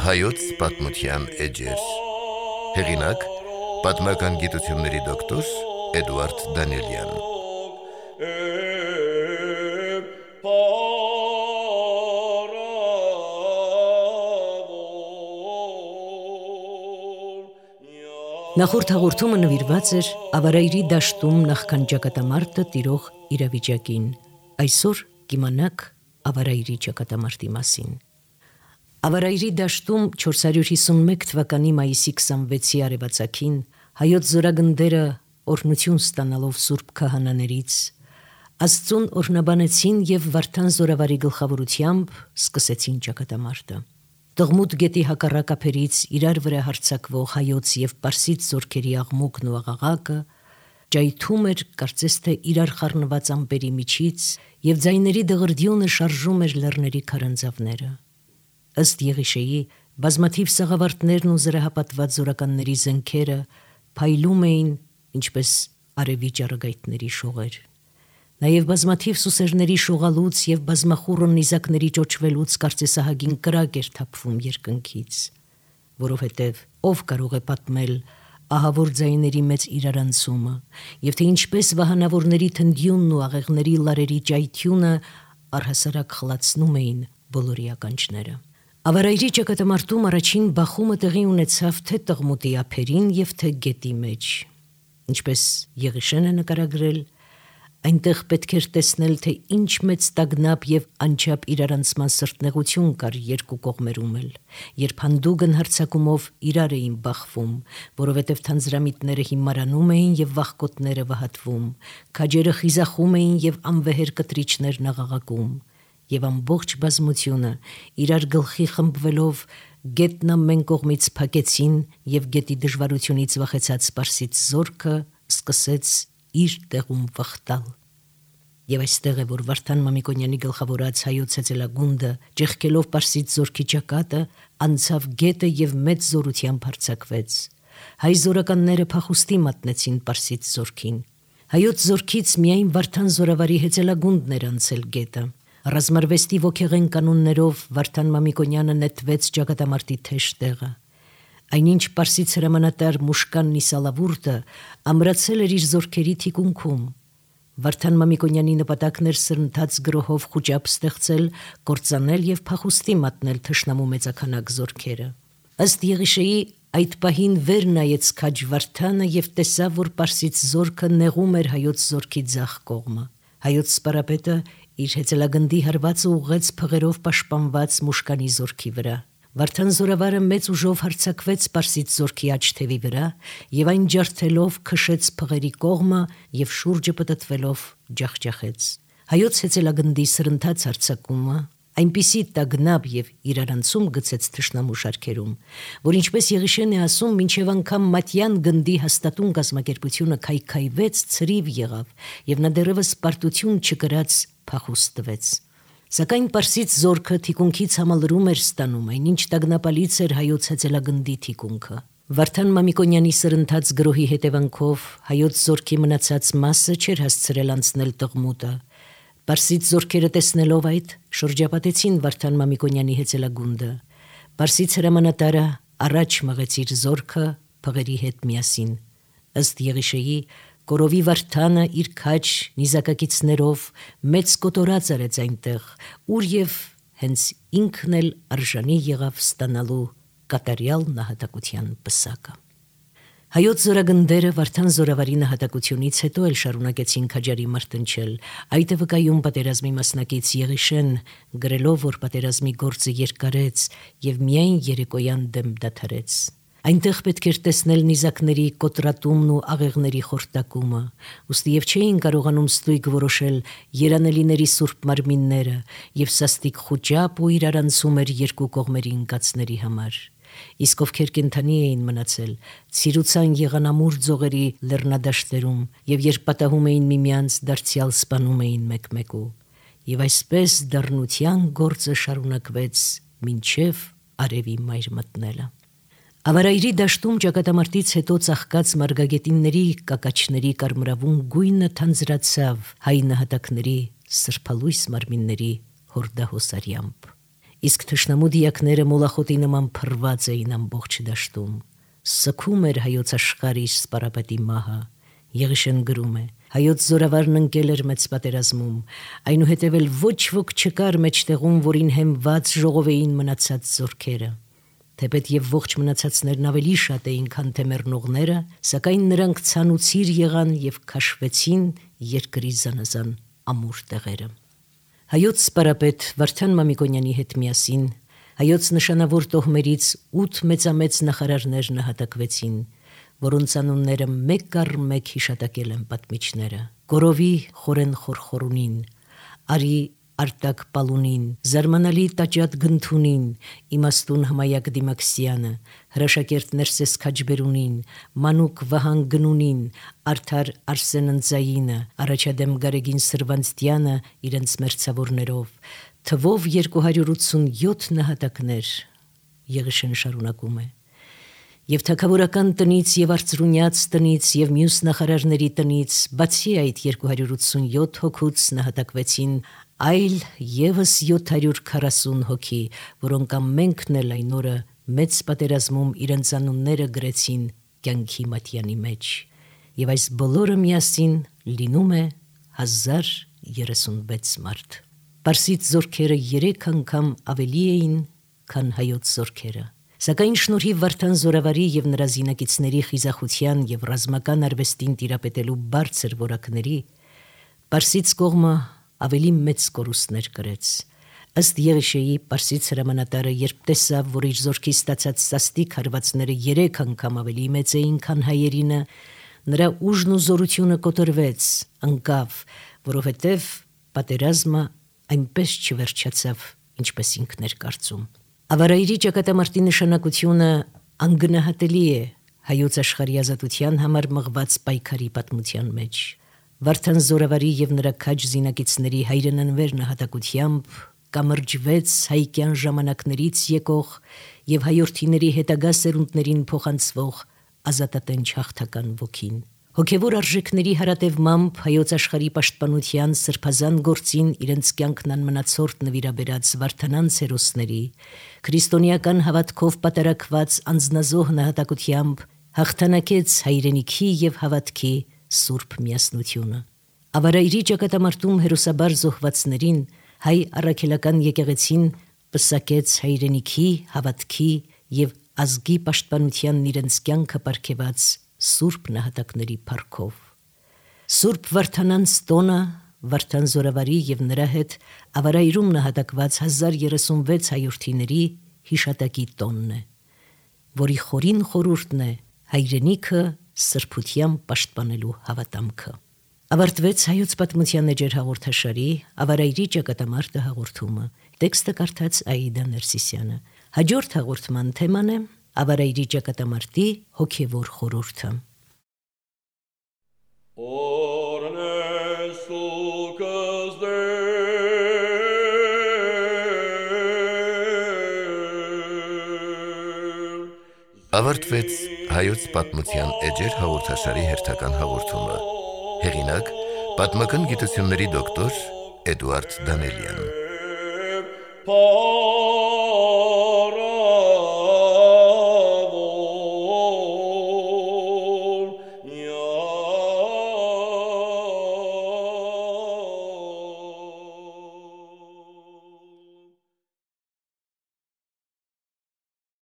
Հայոց պատմության էջեր։ Հեղինակ՝ պատմական գիտությունների դոկտոր Էդուարդ Դանիելյան։ Նախորդ հաղորդումը նվիրված էր Ավարայրի դաշտում նախքան ճակատամարտը տիրող իրավիճակին։ Այսօր կիմանաք Ավարայրի ճակատամարտի մասին։ Ավարայրի դաշտում 451 թվականի մայիսի 26-ի արևածագին հայոց զորագնդերը օրհնություն ստանալով սուրբ քահանաներից Աստծուն օրհնաբանեցին եւ Վարդան զորավարի գլխավորությամբ սկսեցին ճակատամարտը։ Տղմուտ գետի հակառակ ափերից իրար վրա հարձակվող հայոց եւ պարսից զորքերի աղմուկն ու աղաղակը ճայթում էր կարծես թե իրար խառնված ամպերի միջից եւ ձայների դղրդյունը շարժում էր լեռների քարանձավները։ Ըստ Եղիշեի բազմաթիվ սաղավարտներն ու զրահապատված զորականների զենքերը փայլում էին ինչպես արևի ճառագայթների շողեր։ Նաև բազմաթիվ սուսերների շողալուց եւ բազմախուռն նիզակների ճոճվելուց կարծեսահագին կրակ էր թափվում երկնքից, որովհետև ով կարող է պատմել ահավոր ձայների մեծ իրարանցումը եւ թե ինչպես վահանավորների թնդյունն ու աղեղների լարերի ճայթյունը առհասարակ խլացնում էին բոլորի ականջները։ Ավարայրի ճակատամարտում առաջին բախումը տեղի ունեցավ թե Տղմուտի ափերին եւ թե գետի մեջ, ինչպես Եղիշեն է նկարագրել, այնտեղ պետք էր տեսնել, թե ինչ մեծ տագնապ եւ անչափ իրարանցման սրտնեղություն կար երկու կողմերում էլ, երբ հանդուգն հարձակումով իրար էին բախվում, որովհետև թանձրամիտները հիմարանում էին եւ վախկոտները վհատվում, քաջերը խիզախում էին եւ անվեհեր կտրիչներն աղաղակում, եւ ամբողջ բազմությունը իրար գլխի խմբվելով գետն ամեն կողմից փակեցին եւ գետի դժվարությունից վախեցած պարսից զորքը սկսեց իր տեղում վխտալ։ Եվ այստեղ է, որ Վարդան Մամիկոնյանի գլխավորած հայոց հեծելագունդը, ճեղքելով պարսից զորքի ճակատը, անցավ գետը եւ մեծ զորությամբ հարձակվեց։ Հայ զորականները փախուստի մատնեցին պարսից զորքին։ Հայոց զորքից միայն Վարդան զորավարի հեծելագունդն էր անցել գետը։ Ռազմարվեստի ոգեղեն կանոններով Վարդան Մամիկոնյանը նետվեց ճակատամարտի թեժ տեղը։ Այնինչ պարսից հրամանատար Մուշկան Նիսալավուրտը ամրացել էր իր զորքերի թիկունքում։ Վարդան Մամիկոնյանի նպատակն էր սրընթաց գրոհով խուճապ ստեղծել, կործանել եւ փախուստի մատնել թշնամու մեծաքանակ զորքերը։ Ըստ Եղիշեի այդ պահին վեր նայեց քաջ Վարդանը եւ տեսավ, որ պարսից զորքը նեղում էր հայոց զորքի ձախ կողմը։ Հայոց սպարապետը իր հեծելագնդի հարվածը ուղղեց փղերով պաշտպանված Մուշկանի զորքի վրա։ Վարդան զորավարը մեծ ուժով հարձակվեց պարսից զորքի աջ թևի վրա եւ այն ջարդելով քշեց փղերի կողմը եւ շուրջը պտտվելով ջախջախեց։ Հայոց հեծելագնդի սրընթաց հարձակումը այնպիսի տագնապ եւ իրարանցում գցեց թշնամու շարքերում, որ ինչպես Եղիշեն է ասում, մինչև անգամ Մատյան գնդի հաստատուն կազմակերպությունը քայքայվեց, ցրիվ եղավ եւ նա դեռևս պարտություն չկրած փախուստ տվեց։ Սակայն պարսից զորքը թիկունքից համալրում էր ստանում, այնինչ տագնապալից էր հայոց հեծելագնդի թիկունքը։ Վարդան Մամիկոնյանի սրընթաց գրոհի հետևանքով հայոց զորքի մնացած մասը չէր հասցրել անցնել Տղմուտը։ Պարսից զորքերը տեսնելով այդ, շրջապատեցին Վարդան Մամիկոնյանի հեծելագունդը։ Պարսից հրամանատարը առաջ մղեց իր զորքը փղերի հետ միասին։ Ըստ Եղիշեի Կորովի Վարդանը իր քաջ նիզակակիցներով մեծ կոտորած արեց այնտեղ, ուր եւ հենց ինքն էլ արժանի եղավ ստանալու կատարյալ նահատակության պսակը։ Հայոց զորագնդերը Վարդան զորավարի նահատակությունից հետո էլ շարունակեցին քաջարի մարտնչել, այդ է վկայում պատերազմի մասնակից Եղիշեն, գրելով, որ պատերազմի գործը երկարեց եւ միայն երեկոյան դեմ դադարեց։ Այնտեղ պետք էր տեսնել նիզակների կոտրատումն ու աղեղների խորտակումը, ուստի եւ չէին կարողանում ստույգ որոշել երանելիների սուրբ մարմինները եւ սաստիկ խուճապ ու իրարանցում էր երկու կողմերի ընկածների համար։ Իսկ ովքեր կենդանի էին մնացել, ցիրուցան եղան ամուր ձողերի լեռնադաշտերում եւ երբ պատահում էին միմյանց, դարձյալ սպանում էին մեկ-մեկու։ Եվ այսպես դառնության գործը շարունակվեց մինչև արևի մայր մտնելը։ Ավարայրի դաշտում ճակատամարտից հետո ծաղկած մարգագետինների կակաչների կարմրավուն գույնը թանձրացավ հայ նահատակների սրբալույս մարմինների հորդահոսարյամբ։ իսկ թշնամու դիակները մոլախոտի նման փռված էին ամբողջ դաշտում։ Սգում էր հայոց աշխարհի սպարապետի մահը։ Եղիշեն գրում է. հայոց զորավարն ընկել էր մեծ պատերազմում, այնուհետև էլ ոչ ոք չկար մեջտեղում, որին հեմված ժողովեին մնացած զորքերը։ Թեպետ եւ ողջ մնացածներն ավելի շատ էին, քան թե մեռնողները, սակայն նրանք ցանուցիր եղան եւ քաշվեցին երկրի զանազան ամուր տեղերը։ Հայոց սպարապետ Վարդան Մամիկոնյանի հետ միասին հայոց նշանավոր տոհմերից 8 մեծամեծ նախարարներ նահատակվեցին, որոնց անունները մեկ առ մեկ հիշատակել են պատմիչները. Գորովի Խորեն Խորխորունին, Արի Արտակ Պալունին, Զարմանալի Տաճատ Գնթունին, Իմաստուն Հմայակ Դիմաքսյանը, Հրաշակերտ Ներսես Քաջբերունին, Մանուկ Վահան Գնունին, Արդար Արսեն Ընձայինը, Առաջադեմ Գարեգին Սրվանցտյանը իրենց մերձավորներով, թվով 287 նահատակներ։ Եղիշեն շարունակում է. Եվ թագավորական տնից եւ արծրունյաց տնից եւ մյուս նախարարների տնից, բացի այդ 287 հոգուց նահատակվեցին այլ եւս 740 հոգի, որոնք ամենքն էլ այն օրը մեծ պատերազմում իրենց անունները գրեցին կյանքի մատյանի մեջ, եւ այս բոլորը միասին լինում է 1036 մարդ։ Պարսից զորքերը 3 անգամ ավելի էին, քան հայոց զորքերը։ Սակայն շնորհիվ Վարդան զորավարի եւ նրա զինակիցների խիզախության եւ ռազմական արվեստին տիրապետելու բարձր որակների, Պարսից կողմը ավելի մեծ կորուստներ կրեց։ Ըստ Եղիշեի, Պարսից հրամանատարը, երբ տեսավ, որ իր զորքի ստացած սաստիկ հարվածները 3 անգամ ավելի մեծ էին, քան հայերինը, նրա ուժն ու զորությունը կոտրվեց, ընկավ, որովհետև պատերազմը այնպես չվերջացավ, ինչպես ինքն էր կարծում։ Ավարայրի ճակատամարտի նշանակությունը անգնահատելի է հայոց աշխարհի ազատության համար մղված պայքարի պատմության մեջ։ Վարդան զորավարի եւ նրա քաջ զինակիցների հայրենանվեր նահատակությամբ կամրջվեց հայկյան ժամանակներից եկող եւ հայորդիների հետագա սերունդներին փոխանցվող ազատատենչ հաղթական ոգին։ Հոգևոր արժեքների հարատևմամբ հայոց աշխարհի պաշտպանության սրբազան գործին իրենց կյանքն անմնացորդ նվիրաբերած Վարդանանց հերոսների, քրիստոնեական հավատքով պատարակված անձնազոհ նահատակությամբ հաղթանակեց հայրենիքի եւ հավատքի սուրբ միասնությունը։ Ավարայրի ճակատամարտում հերոսաբար զոհվածներին հայ առաքելական եկեղեցին պսակեց հայրենիքի, հավատքի եւ ազգի պաշտպանությանն իրենց կյանքը պարգեւած սուրբ նահատակների փառքով։ Սուրբ Վարդանանց տոնը Վարդան զորավարի եւ նրա հետ ավարայրում նահատակված 1036 հայորդիների հիշատակի տոնն է, որի խորին խորհուրդն է հայրենիքը սրբությամբ պաշտպանելու հավատամքը։ Ավարտվեց հայոց պատմության էջեր հաղորդաշարի ավարայրի ճակատամարտը հաղորդումը։ Տեքստը կարդաց Աիդա Ներսիսյանը։ Հաջորդ հաղորդման թեման է ավարայրի ճակատամարտի հոգևոր խորհուրդը։ Ավարտվեց հայոց պատմության էջեր հաղորդաշարի հերթական հաղորդումը։ Հեղինակ՝ պատմական գիտությունների դոկտոր Էդուարդ Դանելյան։